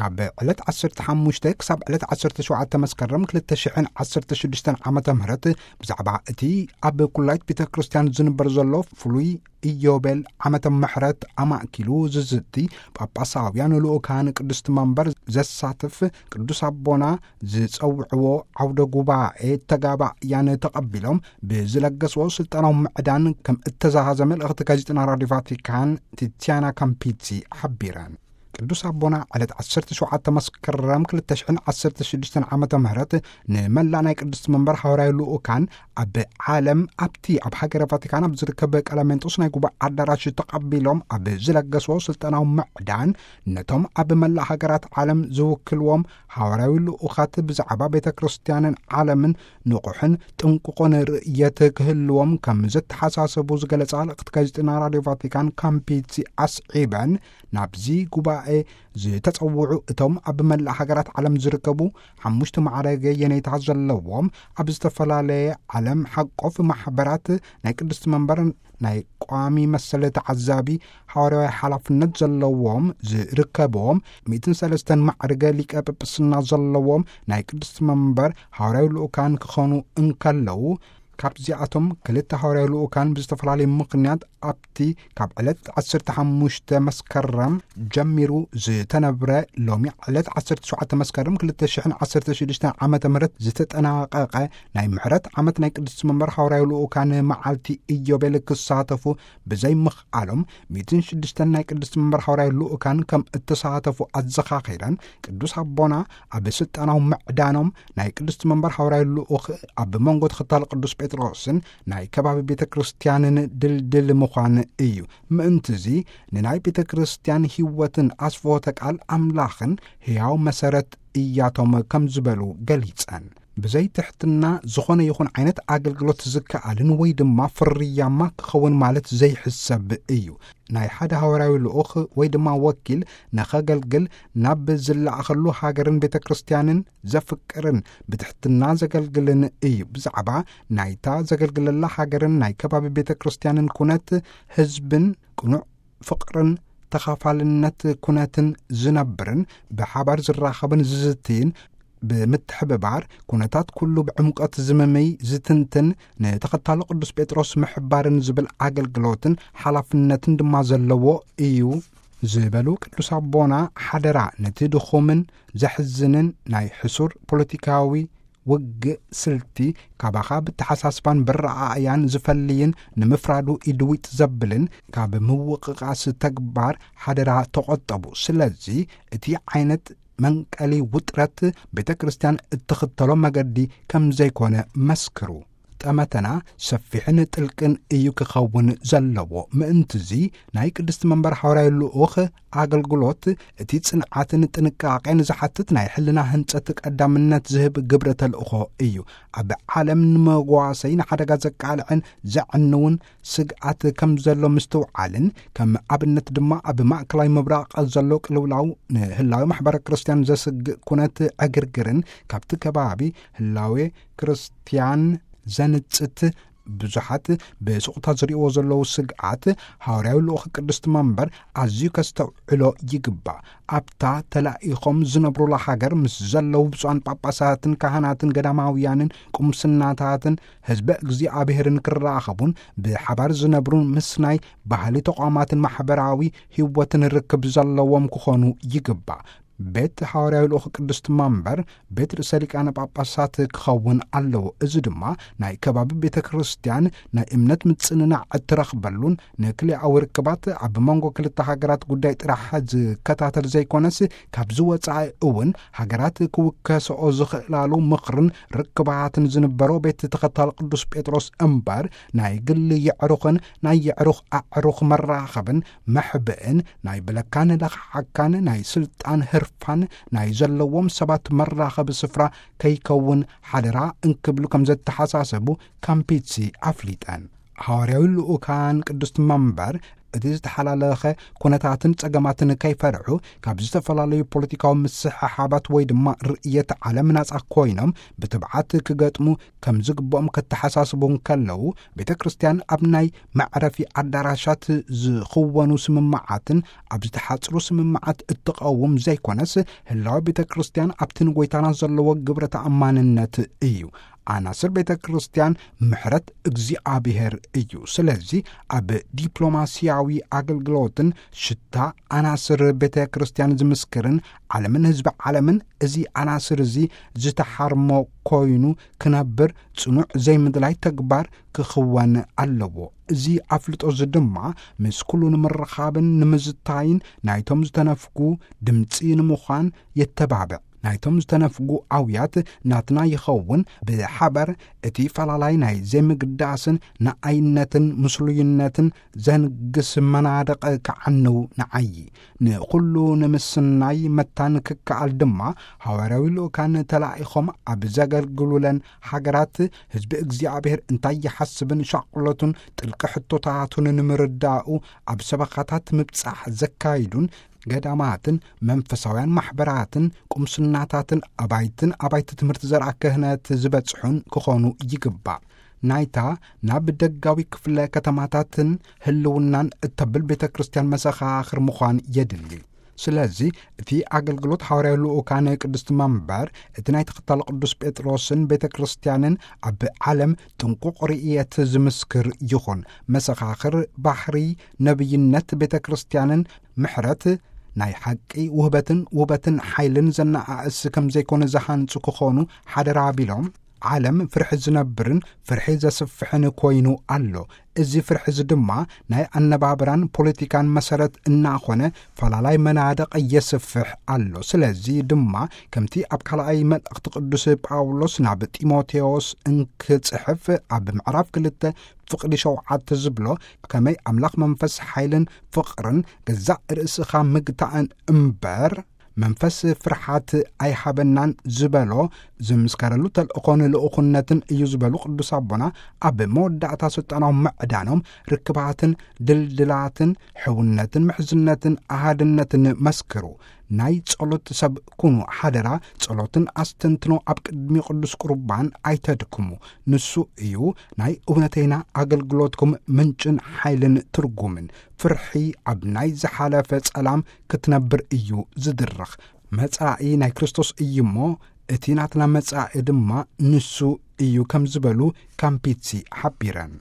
ካብ ዕለት ዓሰርተ ሓሙሽተ ክሳብ ዕለት ዓሰርተ ሸውዓተ መስከረም ክልተ ሽሕን ዓሰርተ ሽዱሽተን ዓመተ ምህረት ብዛዕባ እቲ ኣብ ኩላይት ቤተ ክርስቲያን ዝንበር ዘሎ ፍሉይ ኢዮቤል ዓመተ ምሕረት ኣማእኪሉ ዝዝቲ ጳጳሳውያን ልኡካን ቅድስቲ መንበር ዘሳትፍ ቅዱስ ኣቦና ዝጸውዕዎ ዓውደ ጉባኤ ተጋባእያን ተቐቢሎም ብዝለገስዎ ስልጣናዊ ምዕዳን ከም እተዛሃዘ መልእኽቲ ጋዜጠና ራዲዮ ቫቲካን ቲቲያና ካምፒቲ ሓቢረን። ቅዱስ ኣቦና ዕለት ዓሰርተ ሸውዓተ መስከረም ክልተ ሽሕን ዓሰርተ ሽዱሽተን ዓመተ ምህረት ንመላእ ናይ ቅድስቲ መንበር ሓዋርያዊ ልኡካን ኣብ ዓለም ኣብቲ ኣብ ሃገረ ቫቲካን ኣብ ዝርከብ ቀለሜንጦስ ናይ ጉባኤ ኣዳራሽ ተቐቢሎም ኣብ ዝለገስዎ ስልጣናዊ ምዕዳን ነቶም ኣብ መላእ ሃገራት ዓለም ዝውክልዎም ሓዋርያዊ ልኡኻት ብዛዕባ ቤተ ክርስቲያንን ዓለምን ንቑሕን ጥንቁቕን ርእየት ክህልዎም ከም ዘተሓሳሰቡ ዝገለጻ ልእኽቲ ጋዜጠና ራዲዮ ቫቲካን ካምፒቲ ኣስዒበን ናብዚ ጉባኤ ዝተጸውዑ እቶም ኣብ መላእ ሃገራት ዓለም ዝርከቡ ሓሙሽተ ማዕረገ የኔታ ዘለዎም ኣብ ዝተፈላለየ ዓለም ሓቆፍ ማሕበራት ናይ ቅድስቲ መንበር ናይ ቋሚ መሰለ ተዓዛቢ ሓዋርያዊ ሓላፍነት ዘለዎም ዝርከብዎም ሚእትን ሰለስተን ማዕርገ ሊቀ ጵጵስና ዘለዎም ናይ ቅድስቲ መንበር ሓዋርያዊ ልኡካን ክኾኑ እንከለዉ ካብዚኣቶም ክልተ ሓዋርያዊ ልኡካን ብዝተፈላለየ ምኽንያት ኣብቲ ካብ ዕለት ዓሰርተ ሓሙሽተ መስከረም ጀሚሩ ዝተነብረ ሎሚ ዕለት ዓሰርተ ሸውዓተ መስከረም ክልተ ሽሕን ዓሰርተ ሽዱሽተን ዓመተ ምህረት ዝተጠናቐቐ ናይ ምሕረት ዓመት ናይ ቅድስቲ መንበር ሓዋርያዊ ልኡካን መዓልቲ ኢዮቤል ክሳተፉ ብዘይምኽኣሎም ሚእትን ሽዱሽተን ናይ ቅድስቲ መንበር ሓዋርያዊ ልኡካን ከም እተሳተፉ ኣዘኻኺረን ቅዱስ ኣቦና ኣብ ስልጣናዊ ምዕዳኖም ናይ ቅድስቲ መንበር ሓዋርያዊ ልኡኽ ኣብ መንጎ ተኸታሊ ቅዱስ ጴጥሮስን ናይ ከባቢ ቤተ ክርስቲያንን ድልድል ምዃን እዩ። ምእንትዚ ንናይ ቤተ ክርስቲያን ህይወትን ኣስፍሆተ ቃል ኣምላኽን ሕያው መሰረት እያቶም ከም ዝበሉ ገሊጸን። ብዘይ ትሕትና ዝኾነ ይኹን ዓይነት ኣገልግሎት ዝከኣልን ወይ ድማ ፍርያማ ክኸውን ማለት ዘይሕሰብ እዩ። ናይ ሓደ ሃዋርያዊ ልኡኽ ወይ ድማ ወኪል ንኸገልግል ናብ ዝለኣኸሉ ሃገርን ቤተ ክርስቲያንን ዘፍቅርን ብትሕትና ዘገልግልን እዩ። ብዛዕባ ናይታ ዘገልግለላ ሃገርን ናይ ከባቢ ቤተ ክርስቲያንን ኩነት ህዝብን ቅኑዕ ፍቕርን ተኻፋልነት ኩነትን ዝነብርን ብሓባር ዝራኸብን ዝዝትይን ብምትሕብባር ኩነታት ኩሉ ብዕምቆት ዝምምይ ዝትንትን ንተኸታሎ ቅዱስ ጴጥሮስ ምሕባርን ዝብል ኣገልግሎትን ሓላፍነትን ድማ ዘለዎ እዩ ዝበሉ ቅዱስ ኣቦና ሓደራ ነቲ ድኹምን ዘሕዝንን ናይ ሕሱር ፖለቲካዊ ውግእ ስልቲ ካባኻ ብተሓሳስባን ብረኣእያን ዝፈልይን ንምፍራዱ ኢድዊጥ ዘብልን ካብ ምውቕቓስ ተግባር ሓደራ ተቖጠቡ። ስለዚ እቲ ዓይነት መንቀሊ ውጥረት ቤተ ክርስቲያን እትኽተሎ መገዲ ከም ዘይኮነ መስክሩ። ጠመተና ሰፊሕን ጥልቅን እዩ ክኸውን ዘለዎ። ምእንትዚ ናይ ቅድስቲ መንበር ሓዋርያዊ ልኡኽ ኣገልግሎት እቲ ጽንዓትን ጥንቃቄን ዝሓትት ናይ ሕልና ህንጸት ቀዳምነት ዝህብ ግብረ ተልእኾ እዩ። ኣብ ዓለም ንመጓሰይ ንሓደጋ ዘቃልዕን ዘዕንውን ስግኣት ከም ዘሎ ምስትውዓልን ከም ኣብነት ድማ ኣብ ማእከላይ ምብራቕ ዘሎ ቅልውላው ንህላዊ ማሕበረ ክርስቲያን ዘስግእ ኩነት ዕግርግርን ካብቲ ከባቢ ህላዌ ክርስቲያን ዘንጽት ብዙሓት ብስቕታ ዝርእይዎ ዘለዉ ስግኣት ሃዋርያዊ ልኡኽ ቅድስቲ መንበር ኣዝዩ ከስተውዕሎ ይግባእ። ኣብታ ተላኢኾም ዝነብሩላ ሃገር ምስ ዘለዉ ብፁዓን ጳጳሳትን ካህናትን ገዳማውያንን ቁምስናታትን ህዝበ እግዚኣብሔርን ክራኸቡን ብሓባር ዝነብሩን ምስናይ ባህሊ ተቋማትን ማሕበራዊ ህይወትን ርክብ ዘለዎም ክኾኑ ይግባእ። ቤት ሓዋርያዊ ልኡኽ ቅድስቲ መንበር ቤት ርእሰ ሊቃነ ጳጳሳት ክኸውን ኣለዎ። እዚ ድማ ናይ ከባቢ ቤተ ክርስቲያን ናይ እምነት ምጽንናዕ እትረኽበሉን ንክልኣዊ ርክባት ኣብ መንጎ ክልተ ሃገራት ጉዳይ ጥራሕ ዝከታተል ዘይኮነስ ካብዚ ወጻኢ እውን ሃገራት ክውከሰኦ ዝኽእላሉ ምኽርን ርክባትን ዝንበሮ ቤት ተኸታል ቅዱስ ጴጥሮስ እምበር ናይ ግሊ የዕሩኽን ናይ የዕሩኽ ኣዕሩኽ መራኸብን መሕብእን ናይ ብለካን ለኽዓካን ናይ ስልጣን ህርፋን ናይ ዘለዎም ሰባት መራኸቢ ስፍራ ከይከውን ሓደራ እንክብሉ ከም ዘተሓሳሰቡ ካምፒትሲ ኣፍሊጠን። ሃዋርያዊ ልኡካን ቅድስቲ መንበር እቲ ዝተሓላለኸ ኩነታትን ጸገማትን ከይፈርሑ፣ ካብ ዝተፈላለዩ ፖለቲካዊ ምስሕሓባት ወይ ድማ ርእየት ዓለም ናጻ ኮይኖም ብትብዓት ክገጥሙ ከም ዝግብኦም ከተሓሳስቡ እንከለዉ፣ ቤተ ክርስቲያን ኣብ ናይ መዕረፊ ኣዳራሻት ዝኽወኑ ስምምዓትን ኣብ ዝተሓጽሩ ስምምዓት እትቐውም ዘይኮነስ፣ ህላወ ቤተ ክርስቲያን ኣብቲ ንጎይታና ዘለዎ ግብረ ተኣማንነት እዩ። ኣናስር ቤተ ክርስቲያን ምሕረት እግዚኣብሔር እዩ። ስለዚ ኣብ ዲፕሎማስያዊ ኣገልግሎትን ሽታ ኣናስር ቤተ ክርስቲያን ዝምስክርን ዓለምን ህዝቢ ዓለምን እዚ ኣናስር እዚ ዝተሓርሞ ኮይኑ ክነብር ጽኑዕ ዘይምድላይ ተግባር ክኽወን ኣለዎ። እዚ ኣፍልጦ እዚ ድማ ምስ ኩሉ ንምርኻብን ንምዝታይን ናይቶም ዝተነፍጉ ድምጺ ንምዃን የተባብዕ። ናይቶም ዝተነፍጉ ኣውያት ናትና ይኸውን። ብሓበር እቲ ፈላላይ ናይ ዘይምግዳስን ንኣይነትን ምስሉይነትን ዘንግስ መናድቕ ክዓንው ንዓዪ። ንኹሉ ንምስናይ መታን ክከኣል ድማ ሃዋርያዊ ልኡካን ተላኢኾም ኣብ ዘገልግሉለን ሃገራት ህዝቢ እግዚኣብሔር እንታይ ይሓስብን ሻቕሎቱን ጥልቂ ሕቶታቱን ንምርዳኡ ኣብ ሰበኻታት ምብጻሕ ዘካይዱን ገዳማትን መንፈሳውያን ማሕበራትን ቁምስናታትን ኣባይትን ኣባይቲ ትምህርቲ ዘርኣ ክህነት ዝበጽሑን ክኾኑ ይግባእ። ናይታ ናብ ደጋዊ ክፍለ ከተማታትን ህልውናን እተብል ቤተ ክርስቲያን መሰኻኽር ምዃን የድሊ። ስለዚ እቲ ኣገልግሎት ሃዋርያዊ ልኡካን ቅድስቲ መንበር እቲ ናይ ተኸታሊ ቅዱስ ጴጥሮስን ቤተ ክርስቲያንን ኣብ ዓለም ጥንቁቕ ርእየት ዝምስክር ይኹን። መሰኻኽር ባህሪ ነብይነት ቤተ ክርስቲያንን ምሕረት ናይ ሓቂ ውህበትን ውበትን ሓይልን ዘነኣእስ ከም ዘይኮነ ዝሃንጹ ክኾኑ ሓደራ ቢሎም፣ ዓለም ፍርሒ ዝነብርን ፍርሒ ዘስፍሕን ኮይኑ ኣሎ። እዚ ፍርሒ እዚ ድማ ናይ ኣነባብራን ፖለቲካን መሰረት እናኾነ ፈላላይ መናድቕ የስፍሕ ኣሎ። ስለዚ ድማ ከምቲ ኣብ ካልኣይ መልእኽቲ ቅዱስ ጳውሎስ ናብ ጢሞቴዎስ እንክጽሕፍ ኣብ ምዕራፍ ክልተ ፍቕዲ ሸውዓተ ዝብሎ፣ ከመይ ኣምላኽ መንፈስ ሓይልን ፍቕርን ገዛእ ርእስኻ ምግታእን እምበር መንፈስ ፍርሓት ኣይሃበናን ዝበሎ፣ ዝምስከረሉ ተልእኾን ልኡኽነትን እዩ ዝበሉ ቅዱስ ኣቦና፣ ኣብ መወዳእታ ስልጣናዊ ምዕዳኖም ርክባትን ድልድላትን ሕውነትን ምሕዝነትን ኣሃድነትን መስክሩ። ናይ ጸሎት ሰብ ኩኑ ሓደራ። ጸሎትን ኣስተንትኖ ኣብ ቅድሚ ቅዱስ ቁርባን ኣይተድክሙ። ንሱ እዩ ናይ እውነተይና ኣገልግሎትኩም ምንጭን ሓይልን ትርጉምን። ፍርሒ ኣብ ናይ ዝሓለፈ ጸላም ክትነብር እዩ ዝድርኽ። መጻኢ ናይ ክርስቶስ እዩ እሞ፣ እቲ ናትና መጻኢ ድማ ንሱ እዩ ከም ዝበሉ ካምፒትሲ ሓቢረን።